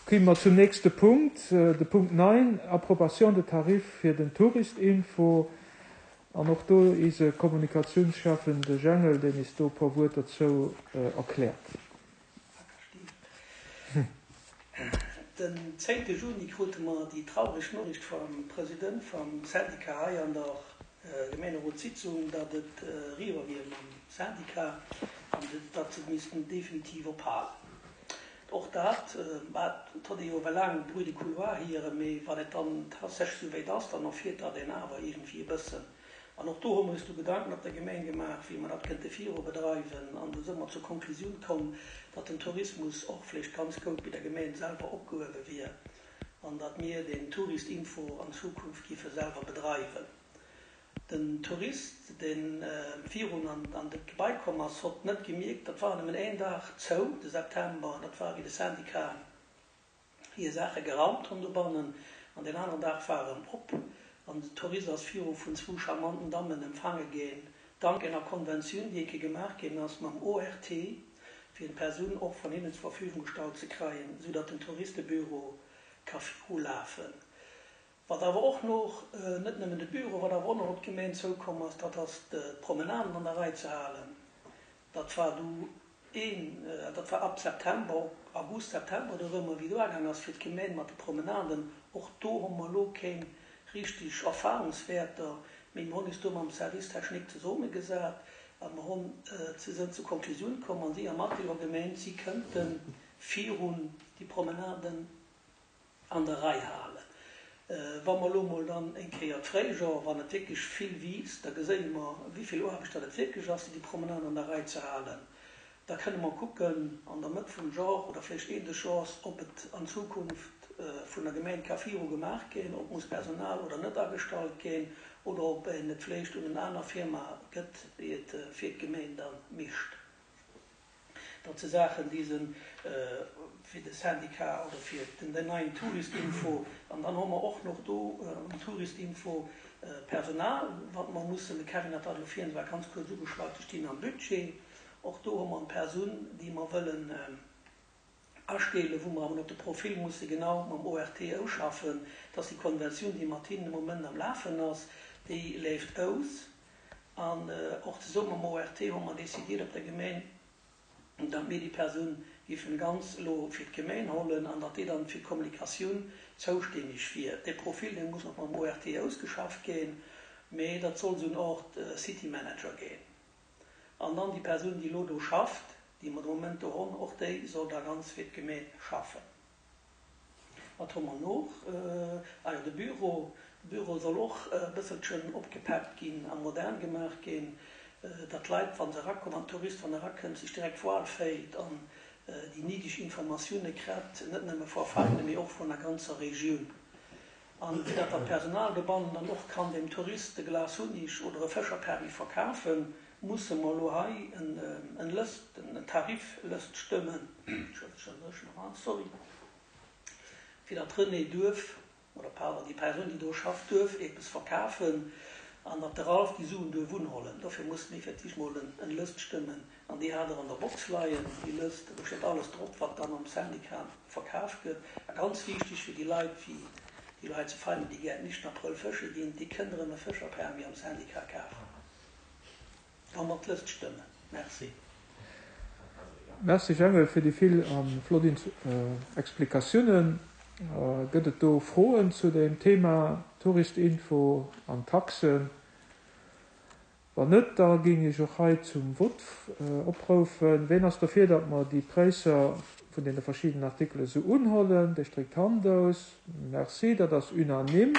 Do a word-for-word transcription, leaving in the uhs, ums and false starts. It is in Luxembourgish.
Komme mer zum nächste Punkt, de Punkt neun, Approbation de tarifs fir den Touristinfo. An och do eise Kommunikatiounsschäffen, de Jengel, deen eis do e puer Wuert dozou erkläert. Den zéngte Juni krute mer déi traureg Noriicht vum President vum Syndicat hei an der Gemeenerotssitzung, datt et eriwwer wier mam Syndicat an datt se missten definitiv ophalen. Och dat, mä et hott ee jo ewell laang Bruit de couloir hieren, mee wann et dann tatsächlech esou wéit ass, dann erfiert dat een awer iergendwéi e bëssen. An och do hu mer eis du Gedanken op der Gemeng gemaach, wéi mer dat kënnte viru bedreiwen. An do si mer zur Konklusioun komm, datt den Tourismus och vläicht ganz goud bei der Gemeng selwer opgehuewe wier an datt mir den Touristinfo an Zukunft giffe selwer bedreiwen. Den Tourist, dee virun an dat Gebai komm ass, hott net gemierkt, dat war nëmmen een Dag zou, de September, an dat war wéi de Syndicat hir Saache geraumt hunn dobannen, an deen aneren Dag war erëm op, an den Tourist ass viru vun zwou charmanten Dammen empfaange ginn, dank enger Konventioun, déi eke gemaach ginn ass mam O R T, fir en Persoun och vun hinnen zur Verfügung gestallt ze kreien, sou datt den Touristebüro ka virulafen. Wat awer och noch, net nëmmen de Büro, wat awer och nach op d'Gemeng zoukomm ass, dat ass d'Promenaden an der Rei ze halen. Dat war du een, dat war ab September, August, September dorëmmer, wéi do agaang ass fir d'Gemeng mat de Promenaden. Och do hu mer elo keng richtig Erfahrungswäerter, mee mir hunn eis do mam Service technique zesummegesat a mer hunn, se sënn zur Konklusioun komm an si am Atelier gemeent, si kënnte virun déi Promenaden an der Rei halen. Wa mer elo mol dann eng Kéier d'Fréijor, wann et wierklech vill wiisst, da geséie mer, wéi vill Aarbecht dat et wierklech ass, déi Promenade an der Rei ze halen. Da kënne mer kucken an der Mëtt vum Jor oder vläicht Enn des Jors, ob et an Zukunft vun der Gemeng ka viru gemaach ginn, ob muss Personal oder net agestallt ginn oder ob een et vläicht un en aner Firma gëtt, déi et fir d'Gemeng da mécht. Dat si Saachen, déi se fir de Syndicat oder fir den neien Touristinfo. An dann hu mer och nach do um Touristinfo Personal, wat mer mussen, de Kevin hat dat elo virhin zwar ganz kuerz ugeschwat, déi stinn am Budget. Och do hu mer eng Persoun, déi mer wëllen astellen, wou mer awer nach de Profil musse genau mam O R T ausschaffen, dass déi Konventioun, déi mat hinnen de Moment am Lafen ass, déi leeft aus. An och zesumme mam O R T hu mer décidiert op der Gemeng, datt mir déi Persoun géifen ganz elo fir d'Gemeng hollen an datt déi dann fir d'Kommunikatioun zoustänneg wier. Dee Profil, dee muss nach mam O R T ausgeschafft ginn, mee dat soll esou en Art City Manager ginn. An dann déi Persoun, déi elo do schafft, déi mer de Moment do hunn, och déi soll da ganz fir d'Gemeng schaffen. Wat hu mer noch? Ah jo, de Büro. De Büro soll och e bësselchen opgepeppt ginn a modern gemaach ginn, datt d'Leit, wa se erakommen, wann d'Tourist, wann erakënnt, sech direkt wuel féilt an déi néideg Informatioune kritt, net nëmme vu Veinen, mee och vun der ganzer Regioun. An fir datt dat Personal dobannen dann och kann dem Tourist e Glas Hunneg oder e Fëscherpermis verkafen, musse mer elo hei en Lëst, en Tariflëst stëmmen, sorry, fir datt d'Renée duerf, oder pardon, déi Persoun, déi do schafft, duerf eppes verkafen an datt de Ralph déi Suen duerf unhollen. Dofir musse mir fir d'éischt mol en Lëst stëmmen an déi hat Der an der Box leien, déi Lëst. Do steet alles drop, wat dann am Syndicat verkaf gëtt. A ganz wichteg fir déi Leit, wéi déi Leit zu Veianen, déi gär nicht Aprëll fësche ginn, déi kënnen erëm e Fëscherpermis am Syndicat kafen, wa mer d'Lëst stëmmen. Merci. Merci Jengel fir déi vill a flott Explikatiounen. Gëtt et do Froen zu dem Thema Touristinfo an Taxen? Wann net, da géing ech och hei zum Vott oproufen. Ween ass dofir, datt mer déi Präisser vun deene verschiddenen Artikele sou unhollen? Dee streckt d'Hand aus. Merci, dat ass unanime.